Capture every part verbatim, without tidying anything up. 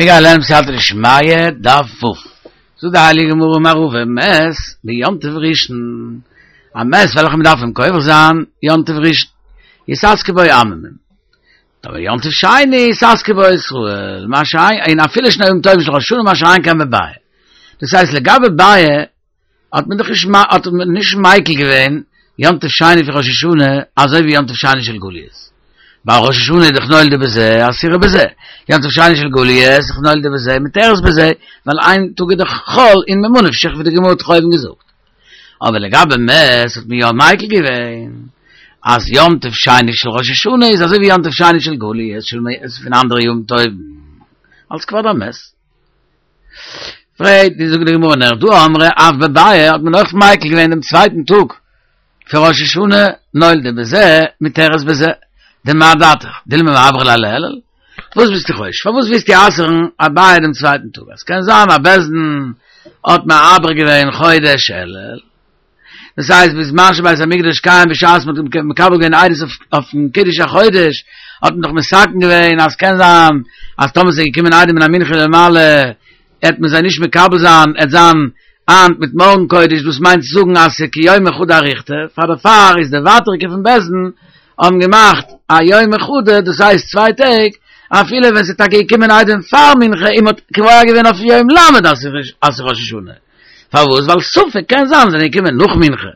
מיר גייען לערנען בסייעתא דשמיא, דף ו'. זאגט די הייליגע גמרא אמר רבא מת ביום טוב ראשון, א מת וועלכע מען דארף אים קובר זיין יום טוב ראשון, יתעסקו בו עממים. אבער יום טוב שני יתעסקו בו ישראל, מה שאין, און אפילו שני ימים טובים של ראש השנה מה שאין כן בביעא. דאס הייסט לגבי ביעא האט מען דאך נישט האט מען נישט מיקל געווען יום טוב שני פון ראש השנה אזוי ווי יום טוב שני של גליות. ווייל ראש השנה איז דאך נולדה בזה אסורה בזה, יום טוב שני של גליות איז דאך נולדה בזה מותרת בזה, ווייל איין טאג איז דאך חול און ממה נפשך ווי די גמרא האט אויבן געזאגט. אבער לגבי מת האט מען יא מיקל געווען אז יום טוב שני של ראש השנה איז אזוי ווי יום טוב שני של גליות של פון אנדערע יום טובים אלס כבוד המת. פרעגט די זאגט די גמרא נהרדעא אמרי אף בביעא האט מען אויך מיקל געווען דעם צווייטן טאג פון ראש השנה נולדה בזה מותרת בזה דמה דעתך דילמא מעברי ליה לאלול וואס ביסטו חושש פארוואס ווילסטו אסר'ן א ביעא דעם צווייטן טאג אז קען זיין אז בית דין האט מעבר געווען חודש אלול דאס הייסט בזמן שבית המקדש קיים בשעת מ'האט מקבל געווען עדות אויפן קידוש החודש האט מען דאך מתקן געווען אז קען זיין אז טאמער ס'איז געקומען עדים מן המנחה ולמעלה עט מען זיי נישט מקבל זיין עט זיין היינט מיט מארגן קודש דאס מיינט צו זאגן אז ס'איז כיומא חדא אריכתא פאר דערפאר איז די ווייטערדיגע פון בית דין האבן געמאכט א יומא חדא דאס הייסט צוויי טעג אפילו ווען ס'איז טאקע געקומען עדים פאר מנחה און מ'האט קובע געווען אויף יום ל' אז ס'איז ראש השנה פארוואס ווייל ספק קען זיין זענען געקומען נאך מנחה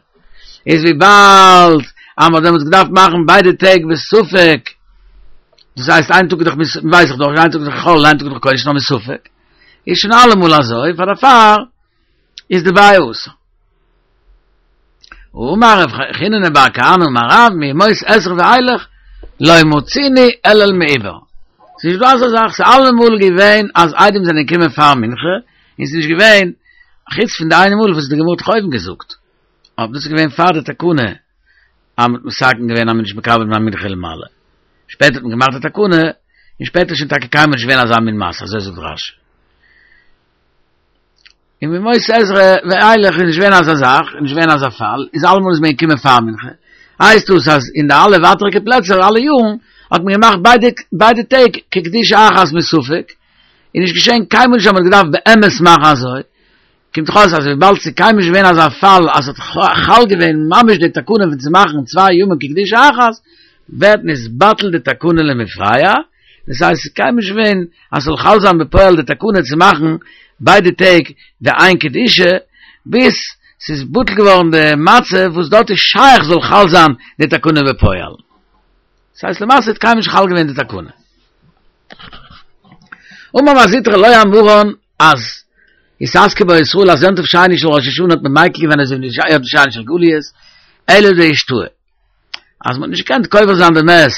איז וויבאלד אז מ'האט דעמאלטס געדארפט מאכן ביידע טעג בספק דאס הייסט איין טאג איז דאך ווייס איך דאך איין טאג איז דאך חול איין טאג איז דאך קודש נאר מספק איז שוין אלעמאל אזוי פאר דערפאר איז די ביעא אסור. אמר רב חיננא בר כהנא אמר רב מימות עזרא ואילך לא מצינו אלול מעובר. ס'איז נישט דא אזא זאך, ס'איז אלעמאל געווען אז עדים זענען געקומען פאר מנחה, און ס'איז נישט געווען, חוץ פון די איינע מאל וואס די גמרא האט דאך אויבן געזאגט, אבער דאס איז געווען פאר די תקנה אז מ'האט מתקן געווען אז מ'איז נישט מקבל מן המנחה ולמעלה. שפעטער האט מען געמאכט די תקנה, און שפעטער איז שוין טאקע קיינמאל נישט געווען אזא מין מעשה, אזוי זאגט רש"י. און מימות עזרא ואילך איז נישט געווען אזא זאך, איז נישט געווען אזא פאל, איז אלעמאל איז מען געקומען פאר מנחה. הייסט דאס אז אין די אלע ווייטעריגע פלעצער אלע יארן האט מען געמאכט ביידע ביידע טעג כקדושה אחת מספק, איז נישט געשען קיינמאל נישט אז מען האט געדארפט באמת מאכן אזוי, קומט דאך אויס אז וויבאלד ס'איז קיינמאל נישט געווען אזא פאל אז ס'האט חל געווען ממש די תקנה פון צו מאכן צוויי ימים כקדושה אחת, ווערט נתבטל די תקנה למפרע, דאס הייסט ס'איז קיינמאל נישט געווען אז ס'זאל חל זיין בפועל די תקנה צו מאכן ביידע טעג די איין קדושה, ביז ס'איז בטל געווארן די מצב וואס דארט איז שייך זאל חל זיין די תקנה בפועל. דאס הייסט למעשה האט קיינמאל נישט חל געווען די תקנה. אמר מר זוטרא לא אמרן אז יתעסקו בו ישראל אז יום טוב שני של ראש השנה האט מען מיקל געווען אזוי ווי יום טוב שני של גליות, אלא דאישתהי אז מ'האט נישט געקענט קובר זיין די מת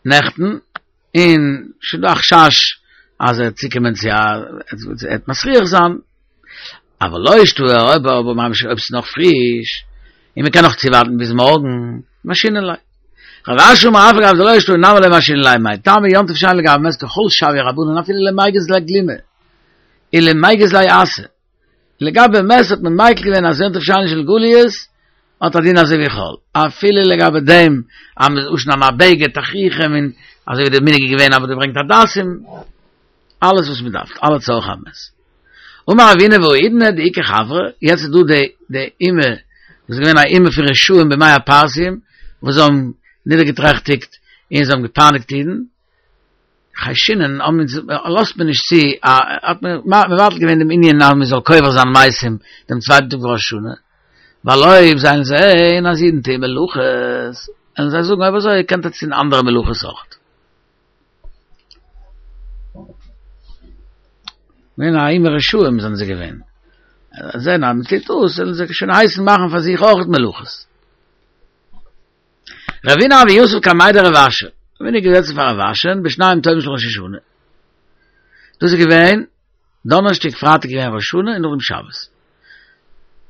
נעכטן, און שוין דא א חשש אז ער וועט צוקומען צו א, ער וועט מסריח זיין, אבל לא אישתהי אויב אבער ממש אויב ס'איז נאך פריש, און מ'קען נאך צואווארטן ביז מארגן, משהינן ליה. רב אשי אמר אף על גב דלא אישתהי נמי לא משהינן ליה מאי טעמא יום טוב שני לגבי מת כחול שויוה רבנן אפילו למיגז ליה גלימא ולמיגז ליה אסא. לגבי מת האט מען מיקל געווען אז יום טוב שני של גליות האט א דין אזוי ווי חול, אפילו לגבי דעם אז מ'איז אנשניידן א בגד תכריכים און אזוי ווי די מנהג איז געווען אז מ'האט געברענגט הדסים, אלעס וואס מ'דארף, אלע צרכי המת. אמר רבינא והאידנא דאיכא חברי, יעצט איז דא די די אומה וואס איז געווען א אומה פון רשעים בימי הפרסים וואס זיי האבן נידערגעטרעכטיגט און זיי האבן געפייניגט אידן, חיישינן האבן אונז לאזט מען נישט צו א האט מען מבטל געווען דעם ענין אז מען זאל קובר זיין מתים דעם צווייטן טאג ראש השנה, ווייל אויב זיי וועלן זעהן אז אידן טוען מלאכות, וועלן זיי זאגן אויב אזוי קענט עטס טון אנדערע מלאכות אויך. געווען א אומה רשעים זענען זיי געווען, זעהן אז מען טוט דאס וועלן זיי שוין הייסן מאכן פאר זיך אויך מלאכות. רבינא הוה יתיב קמיה דרב אשי, רבינא איז געזעצן פאר רב אשי'ן בשניים טובים של ראש השנה. דאס איז געווען דאנערשטאג פרייטאג געווען ראש השנה און נאכדעם שבת.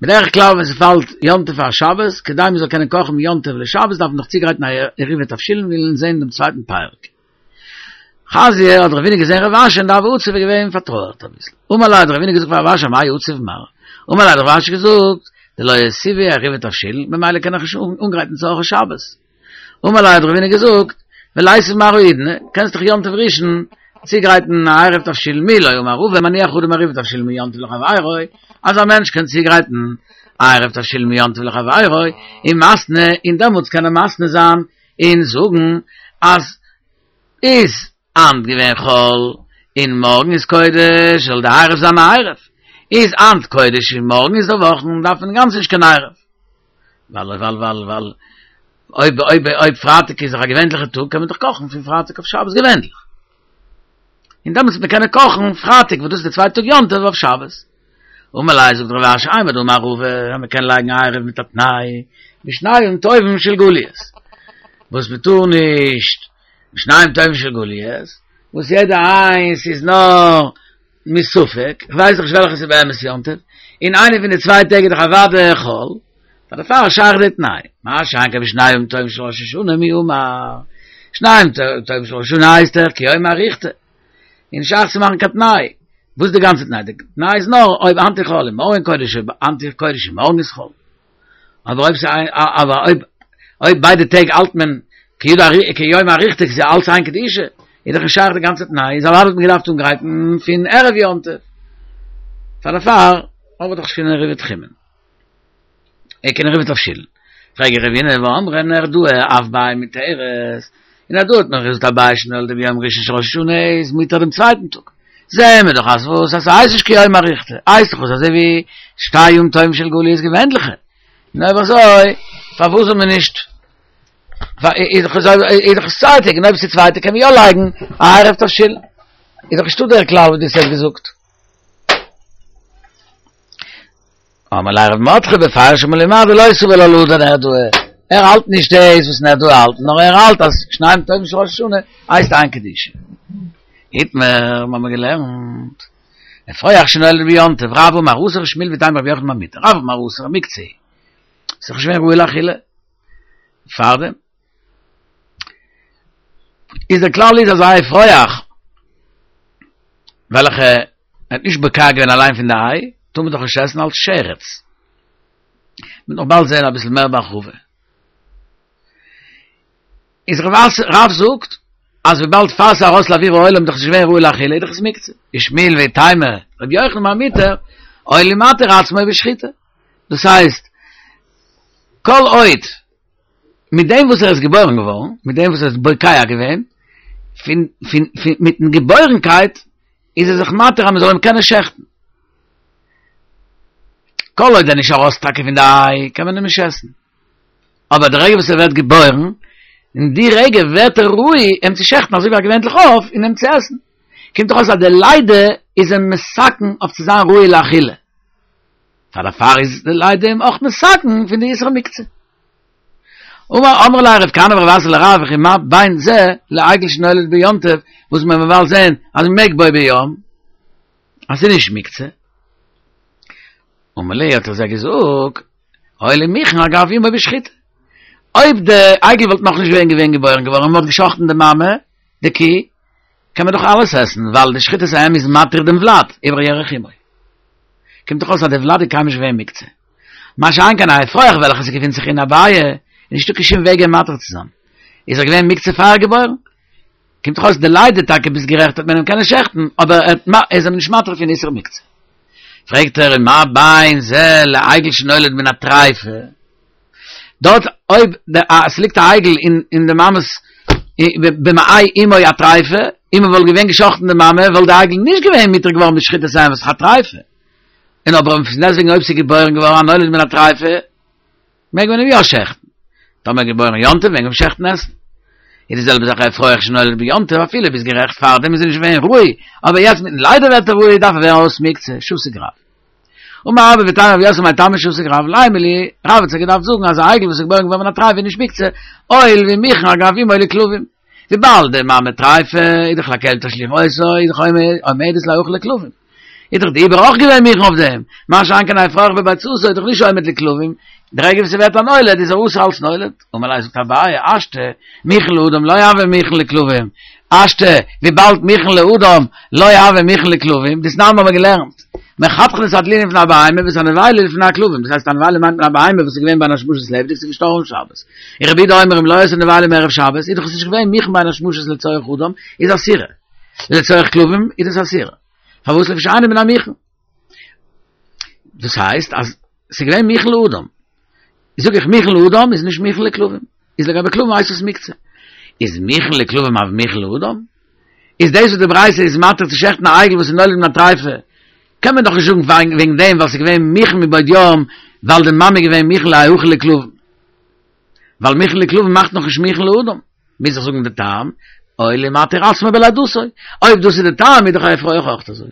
בדרך כלל ווען ס'פאלט יום טוב פאר שבת, כדי מ'זאל קענען קאכן מיום טוב לשבת דארף מען דאך צוגרייטן א עירובי תבשילין ווי מיר זעהן אין דעם צווייטן פרק. חזייה האט רבינא געזען רב אשי'ן דהוה עציב איז געווען פארטרויערט אביסל. אמר ליה האט רבינא געזאגט פאר רב אשי אמאי עציב מר. אמר ליה האט רב אשי געזאגט, דלא אותיבי עירובי תבשילין, ממילא קען איך נישט אנגרייטן צרכי שבת. אמר ליה האט רבינא געזאגט, וליתיב מר האידנא, קענסט דאך יום טוב ראשון צוגרייטן א עירוב תבשילין מי לא אמר רבא מניח אדם עירובי תבשילין מיום טוב לחבירו, אז א מענטש קען צוגרייטן א עירוב תבשילין מיום טוב לחבירו, און מתני, און דעמאלטס קען ער מתנה זיין און זאגן אז איז היינט געווען חול און מארגן איז קודש, זאל די עירוב זיין א עירוב, איז היינט קודש און מארגן איז די וואכן, דארף מען אינגאנצן נישט קיין עירוב. ווייל ווייל ווייל ווייל אויב אויב אויב פרייטאג איז דאך א געווענליכע טאג קען מען דאך קאכן פון פרייטאג אויף שבת געווענליך. און דעמאלטס וועט מען קענען קאכן פרייטאג וואס דאס איז די צווייטע טאג יום טוב אויף שבת. אמר ליה זאגט רב אשי אימר דאמר רבא אז מען קען לייגן עירוב מיט א תנאי בשני ימים טובים של גליות וואס מען טאר נישט בשני ימים טובים של גליות וואס יעדע איינס איז נאר מספק, כ'ווייס דאך נישט וועלכע ס'איז באמת יום טוב, און איינע פון די צוויי טעג איז דאך אוודאי חול, פאר דערפאר שייך די תנאי, מה שאין כן בשני ימים טובים של ראש השנה מי אמר, שני ימים טובים של ראש השנה הייסט דאך כיומא אריכתא, און נישט שייך צו מאכן קיין תנאי, וואס איז די גאנצע תנאי? די תנאי איז נאר אויב היינט איז חול און מארגן קודש, אויב היינט איז קודש און מארגן איז חול. אבער אויב ס'איז אבער אויב אויב ביידע טעג האלט מען כיומא אריכתא ס'איז אלץ איין קדושה, איז דאך נישט שייך די גאנצע תנאי, איז אוודאי האט מען געדארפט אנגרייטן פון ערב יום טוב. פאר דערפאר האב איך דאך נישט קיין עירובי תחומין. אה קיין עירובי תבשילין. פרעג איך רבינא והאמרי נהרדעא אף ביעא מותרת, אין נהרדעא האט מען געזאגט א ביעא שנולדה ביום ראשון של ראש השנה איז מותר דעם צווייטן טאג. זעהן מיר דאך אז וואס אז ס'הייסט נישט כיומא אריכתא, הייסט דאך עס אזוי ווי שתי ימים טובים של גליות געווענליכע. און אויב אזוי פארוואס זאל מען נישט איז דאך איז דאך עס צוויי טעג און אויב עס איז צוויי טעג קען מען יא לייגן א עירוב תבשילין. איז דאך נישטא דער כלל וואס דו האסט יעצט געזאגט. אמר ליה רב מרדכי בפירוש אמר לי מר דלא סבר לה להא דנהרדעא, ער האלט נישט דאס וואס נהרדעא האלט, נאר ער האלט אז שני ימים טובים של ראש השנה הייסט איין קדושה. איתמר, מיר האבן געלערנט, אפרוח שנולד ביום טוב, רב אמר אסור שמואל ואיתימא רבי יוחנן אמר מותר, רב אמר אסור מוקצה, ס'איז דאך נישט געווען ראוי לאכילה פארדעם. איז דער כלל איז אז א אפרוח וועלכע האט נישט בוקע געווען אליין פון די איי, טאר מען דאך נישט עסן אלס שרץ. מ'וועט נאך באלד זען אביסל מער בהרחבה. איז רב זאגט אז וויבאלד פאר ס'איז ארויס לאוויר העולם איז דאך נישט געווען ראוי לאכילה איז דאך עס מוקצה. ושמואל ואיתימא רבי יוחנן אמר מותר, הואיל ומתיר עצמו בשחיטה. דאס הייסט, כל עוד מיט דעם וואס ער איז געבוירן געווארן, מיט דעם וואס ער איז בוקע געווען, פון פון פון מיטן געבוירנקייט איז ער זיך מתיר אז מען זאל אים קענען שעכטן. כל עוד ער איז נישט ארויס טאקע פון די איי, קען מען אים נישט עסן. אבער די רגע וואס ער ווערט געבוירן, אין די רגע ווערט ער ראוי אים צו שעכטן אזוי ווי א געווענליך עוף און אים צו עסן. קומט דאך אויס אז די לידה איז אים מתקן אויף צו זיין ראוי לאכילה. פאר דערפאר איז די לידה אים אויך מתקן פון די איסור מוקצה. אמר אמר ליה רב כהנא ורב אסי לרב וכי מה בין זה לעגל שנולד ביום טוב וואס מען וועט באלד זען אז מען מעג בו ביום אז ס'איז נישט מוקצה. אמר להו האט ער זיי געזאגט הואיל ומוכן אגב אמו בשחיטה אויב די עגל וואלט נאכנישט געווען געווען געבוירן געווארן און מען האט געשחט'ן די מאמע די קי קען מען דאך אלעס עסן ווייל די שחיטת האם איז מתיר דעם ולד איבער ירך אמו. קומט דאך אויס אז די ולד איז קיינמאל נישט געווען מוקצה. מה שאין כן א אפרוח וועלכע ס'געפינט זיך אין א ביעא, איז נישטא קיין שום וועג אים מתיר צו זיין. איז ער געווען מוקצה פאר געבוירן. קומט דאך אויס די לידה טאקע ביסט גערעכט האט מען אים קענען שעכטן, אבער ער איז אים נישט מתיר פון איסור מוקצה. פרעגט ער ומה בין זה לעגל שנולד מן הטריפה. דארט אויב עס ליגט א עגל אין די מאמע'ס במעי אמו א טריפה, און מען וואלט געווען געשחט'ן די מאמע וואלט די עגל נישט געווען מותר געווארן בשחיטת האם וואס איז א טריפה, און אבער פון דעסטוועגן אויב ס'איז געבוירן געווארן א נולד מן הטריפה מעג מען אים יא שעכטן, טאמער געבוירן יום טוב מעג מען אים שעכטן עסן. איז די זעלבע זאך אפרוח שנולד ביום טוב אפילו ביסט גערעכט פארדעם איז ער נישט געווען ראוי, אבער יעצט מיטן לידה ווערט ער ראוי דארף ער ווערן אויס מוקצה, שתיק רב. אמר רבה ואיתימא רב יוסף מאי טעמא שתיק רב לימא להו, רב האט זיך געדארפט זאגן אז א עגל וואס איז געבוירן געווארן מן הטריפה איז נישט מוקצה, הואיל ומוכן אגב אמו לכלבים. וויבאלד די מאמע טריפה איז דאך לכלב תשליכון אותו איז דאך עומדת ליאכל לכלבים. איז דאך די עובר אויך געווען מוכן אויף דעם, מה שאין כן אפרוח בביצתו איז דאך נישט עומד לכלבים, די רגע וואס ס'ווערט א נולד איז ער אסור אלס נולד. אמר ליה זאגט אביי, השתא, מוכן לאדם לא הוי מוכן לכלבים, השתא, וויבאלד מוכן לאדם לא הוי מוכן לכלבים, דתנן האבן מיר געלערנט, מחתכין את הדלולין לפני הבהמה ואת הנבילה לפני הכלבים, דאס הייסט א נבילה מיינט מען א בהמה וואס איז געווען בין השמשות לעבעדיג ס'איז געשטארבן שבת, און רבי יהודה אומר אם לא היתה נבילה מערב שבת, איז דאך עס נישט געווען מוכן בין השמשות לצורך אדם, איז אסורה. לצורך כלבים איז דאס אסור. פארוואס לפי שאינו מן המוכן? דאס הייסט אז ס'איז געווען מוכן לאדם. זאג איך מוכן לאדם איז נישט מוכן לכלבים. איז לגבי כלבים הייסט עס מוקצה. איז מוכן לכלבים אבל מוכן לאדם? איז דאס וואס די ברייתא איז מתיר צו שעכטן א עגל וואס איז נולד מן הטריפה, קען מען דאך נישט זאגן וועגן דעם ווייל ס'איז געווען מוכן מבעוד יום, ווייל די מאמע איז געווען מוכן להאכל לכלבים. ווייל מוכן לכלבים מאכט נאך נישט מוכן לאדם. מוז איך זאגן די טעם, אוי לי מתיר עצמו בלידתו. אויב דאס איז די טעם איז דאך א אפרוח אויך אזוי.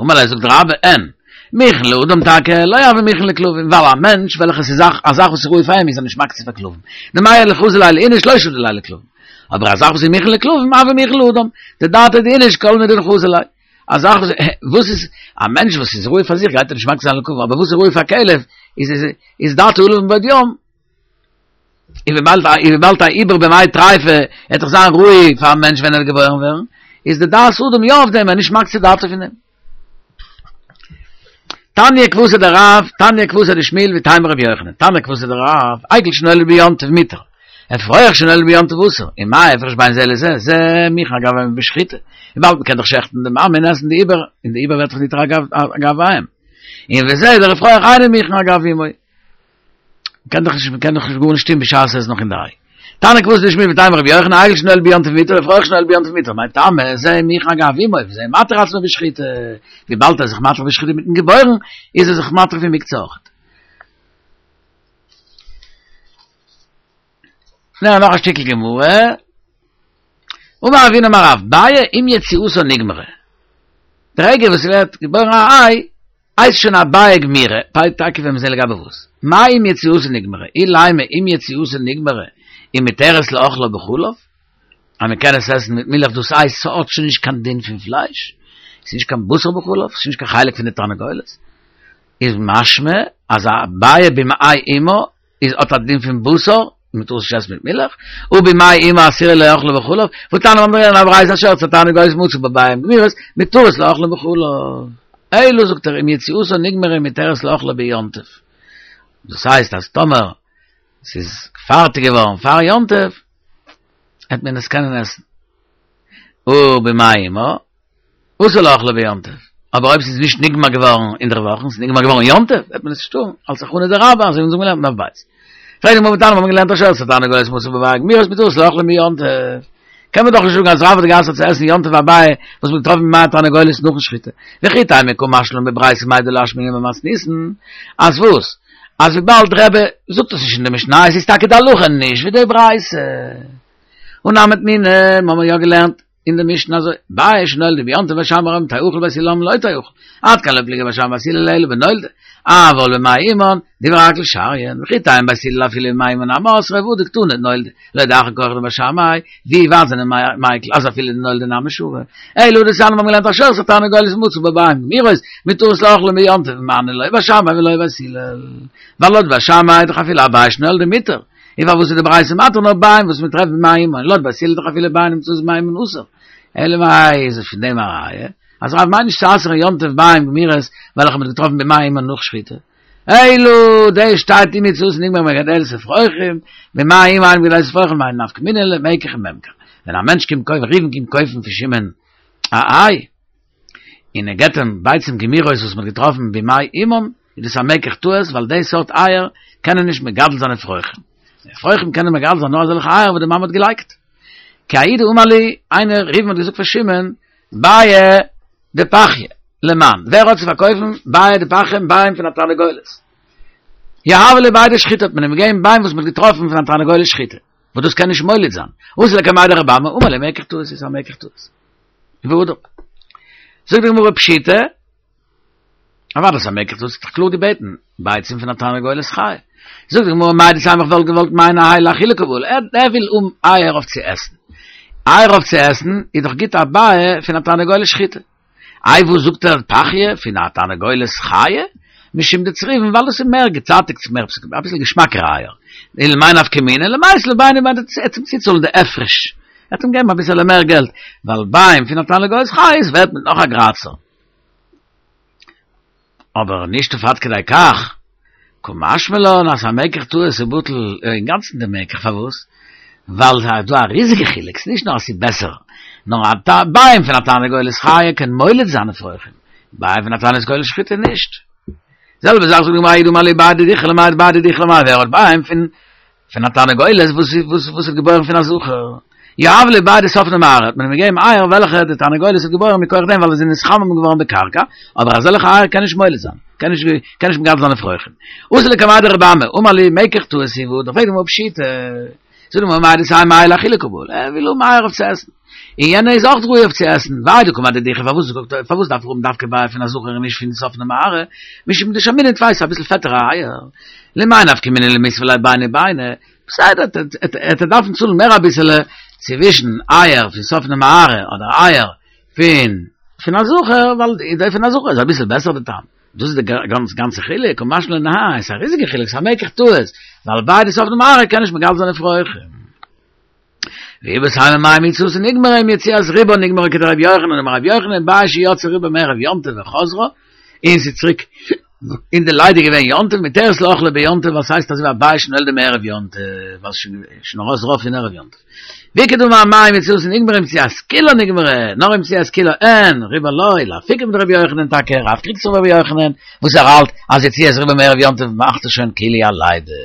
אמר ליה זאגט רבה, אין, מוכן לאדם טאקע, לא הוי מוכן לכלבים, ווייל א מענטש וועלכע ס'איז א זאך וואס איז ראוי פאר אים איז ער נישט מקצה פאר כלבים. דמעייל חזי ליה לאיניש לא שדי ליה לכלבים. אבער א זאך וואס איז מוכן לכלבים הוי מוכן לאדם, דדעתיה דאיניש כל מידי דחזי ליה. א זאך וואס וואס איז א מענטש וואס איז ראוי פאר זיך גייט ער נישט מקצה זיין לכלבים, אבער וואס איז ראוי פאר כלב איז איז איז דעתו עליו מבעוד יום. און וויבאלד און וויבאלד א עובר במעי טריפה וועט דאך זיין ראוי פאר א מענטש ווען ער וועט געבוירן ווערן, איז די דעת אדם יא אויף דעם, ער איז נישט מקצה דעתו פון דעם. תניא כוותיה דרב, תניא כוותיה דשמואל ואיתימא רבי יוחנן, תניא כוותיה דרב, עגל שנולד ביום טוב מותר, אפרוח שנולד ביום טוב אסור, און מה ההפרש בין זה לזה, זה מוכן אגב אמו בשחיטה, וויבאלד מ'קען דאך שעכטן די מאמע און עסן די עובר, און די עובר ווערט דאך ניתר אגב אגב האם. און וזה דער אפרוח אינו מוכן אגב אמו. מ'קען דאך נישט, מ'קען דאך נישט גארנישט טון בשעת ער איז נאך אין די איי. תניא כוותיה דשמואל ואיתימא רבי יוחנן, עגל שנולד ביום טוב מותר, אפרוח שנולד ביום טוב מותר, מאי טעמא, זה מוכן אגב אמו, וזה מתיר עצמו בשחיטה, וויבאלד ער איז זיך מתיר בשחיטה מיטן געבוירן, איז ער זיך מתיר פון מוקצה אויכעט. נאר נאך א שטיקל גמרא. אמר רב הונא אמר רב, ביעא עם יציאתה נגמרה. די רגע וואס ס'ווערט געבוירן א איי, הייסט שוין א ביעא גמירה, פאי טאקע ווען מיר זעהן לגבי וואס. מאי עם יציאתה נגמרה? אילימא עם יציאתה נגמרה ומותרת לאכלה בחלב, אז מען קען עס עסן מיט מילך דאס הייסט ס'האט שוין נישט קיין דין פון פלייש, ס'איז נישט קיין בשר בחלב, ס'איז נישט קיין חלק פון די תרנגולת, איז משמע אז א ביעא במעי אמה איז האט א דין פון בשר, מען טאר עס נישט עסן מיט מילך, הא במעי אמה אסורה לאכלה בחלב, והתניא מיר האבן געלערנט א ברייתא השרצה תרנגולת ומצא בה ביעים גמורות, מותרות לאכלן בחלב. אלא זאגט ער עם יציאתה נגמרה ומותרת לאכלה ביום טוב. דאס הייסט אז טאמער ס'איז פארטיג געווארן פאר יום טוב, העט מען עס קענען עסן. הא במעי אמה, אסור לאכלה ביום טוב, אבער אויב ס'איז נישט נגמר געווארן אינדערוואכן, ס'איז נגמר געווארן יום טוב, וועט מען עס נישט טארן, אלס הכנה דרבה, אזוי ווי אונז האבן געלערנט אין דף ב'. פרעגט די גמרא והתניא, מיר האבן געלערנט השרצה תרנגולת ומצא בה ביעים גמורות מותרות לאכלן ביום טוב. קען מען דאך נישט זאגן אז רב האט גע'אסר'ט צו עסן יום טוב א ביעא וואס מ'האט געטראפן במעי התרנגולת נאכן שחיטה. וכי תימא קא משמע לן בברייתא מאי דלא אשמעינן במתניתין, אז וואס? אז וויבאלד רבי זאגט עס נישט אין די משניות איז טאקע די הלכה נישט ווי די ברייתא. הא נמי תנינא, מ'האמיר יא געלערנט אין די משנה אזוי, ביעא שנולדה ביום טוב בית שמאי אומרים תאכל בית הלל אומרים לא תאכל, עד כאן לא פליגי בית שמאי ובית הלל אלא בנולדה, אבל במעי אמן, דברי הכל שריין, וכי תימא בית הלל אפילו במעי אמן נמי אסרי והא דקתני נולדה, להודיעך כח דבית שמאי, ווי ווייט זענען מיקל אז אפילו די נולדה נמי שרי, אלא הא דתניא מיר האבן געלערנט השרצה תרנגולת ומצא בה ביעים גמורות, מותרות לאכלן ביום טוב, מני לא בית שמאי ולא בית הלל, ווייל לויט בית שמאי איז דאך אפילו א ביעא שנולדה מותר, און פארוואס איז די ברייתא מתיר נאר ביעים וואס מען טרעפט במעי אמן, לויט בית הלל איז דאך אפילו ביעים נמצאות במעי אמן אסור, אלא מאי איז עס פון דעם א ראיה אז רב מיינט נישט צו אסר'ן יום טוב ביעים גמורות וועלכע מען האט געטראפן במעי אמן נאך שחיטה, אלא דאס שטייט עם יציאתן נגמרה מגדלת אפרוחים, במעי אמן אין מגדלת אפרוחים מאי נפקא מינה למקח וממכר, ווען א מענטש קומט קויפן ראובן קומט קויפן פון שמעון א איי, און ער געבט אים ביצים גמורות וואס מען האט געטראפן במעי אמן, איז דאס א מקח טעות ווייל די סארט אייער קענען נישט מגדל זיין אפרוחים. אפרוחים קענען מגדל זיין נאר אזעלכע אייער וואס די מאמע האט געלייגט. כי ההוא דאמר להו, איינער ראובן האט געזאגט פאר שמעון, ביעי דפחיא, למאן, ווער האט צו פארקויפן ביעי דפחיא ביעים פון א תרנגולת? יהבו ליה ביעי דשחיטה האט מען אים געגעבן ביעים וואס מען האט געטראפן פון א תרנגולת שחיטה, וואס דאס קען נישט מוליד זיין. אתא לקמיה דרבי אמי, אמר ליה מקח טעות איז א מקח טעות. והדר. זאגט די גמרא פשיטא, אוודאי ס'איז א מקח טעות, האט דאך קלאר געבעטן ביצים פון א תרנגולת חיה. זאגט די גמרא מהו דתימא איך וואלט געוואלט מיינען האי לאכילה קא בעי, ער וויל האבן אייער אויף צו עסן. אייער אויף צו עסן איז דאך גוט א ביעא פון א תרנגולת שחיטה. איי וואס זאגט ער פחיא פון א תרנגולת חיה? משום דצריבין ווייל דאס איז מער געצייטיגט ס'איז מער אביסל געשמאקער אייער. ולמאי נפקא מינה למיתי ליה ביני וביני ער וועט אים צוצאלן די הפרש. ער וועט אים געבן אביסעלע מער געלט ווייל ביעים פון א תרנגולת חיה איז ווערט מיט נאך א גרייצער. אבער נישט אויף עד כדי כך, קא משמע לן אז א מקח טעות איז בטל אינגאנצן די מקח, פארוואס? ווייל ס'איז דא א ריזיגע חילוק, ס'איז נישט נאר אז ס'איז בעסער, נאר א ביעים פון א תרנגולת חיה קען מוליד זיין אפרוחים, ביעים פון א תרנגולת שחוטה נישט. זעלבע זאך זאגט די גמרא ההוא דאמר להו ביעי דידכו למאי ביעי דידכו למאי ווער האט ביעים פון פון א תרנגולת וואס וואס וואס האט געבוירן פון א זכר. יהבו ליה ביעי דספנה מארעא האט מען אים געגעבן אייער וועלכע די תרנגולת האט געבוירן מכח דעם ווייל עס איז נתחמם געווארן בקרקע, אבער אזעלכע אייער קען נישט מוליד זיין, קען נישט קען נישט מגדל זיין אפרוחים. אתא לקמיה דרבי אמי, אמר ליה מקח טעות הוא, דאך פרעגט די גמרא פשיטא. זאגט די גמרא מהו דתימא אייער לאכילה קא בעי, ער וויל האבן אייער אויף צו עסן. און יענע איז אויך ראוי אויף צו עסן, והאי דקאמר דידכו פארוואס פארוואס דארף ער האבן דווקא ביעי פון א זכר און נישט פון ספנה מארעא, משום דשמינן טפי ס'איז אביסל פעטערע אייער, למאי נפקא מינה למיתבא ליה ביני ביני, בסדר ער וועט דארפן צאלן מער אביסעלע צווישן אייער פון ספנה מארעא אדער אייער פון פון א זכר, ווייל די פון א זכר איז אביסל בעסער די טעם, דאס איז די גאנצע חילוק, קא משמע לן עס איז א ריזיגע חילוק, ס'איז א מקח טעות, ווייל ביעי דספנה מארעא קען נישט מגדל זיין אפרוחים. ואיבעית אימא מים יציאתו נגמרה עם יציאת רובה נגמרה כדרבי יוחנן דאמר רבי יוחנן ביעי שיצא רובה מערב יום טוב וחזרה און ס'איז צוריק אין די לידה געווען יום טוב מותרת לאכלה ביום טוב ווייל ס'הייסט אזוי ווי א ביעי שנולדה מערב יום טוב ווייל ס'שוין ארויס רוב פון ערב יום טוב ואיכא דאמרי מים יציאתו נגמרה עם יציאת כולה נגמרה נאר עם יציאת כולה אין רובה לא לאפוקי מדרבי יוחנן טאקע רב קריגט זיך אויף רבי יוחנן וואס ער האלט אז יציאת רובה מערב יום טוב מאכט עס שוין כאילו א לידה.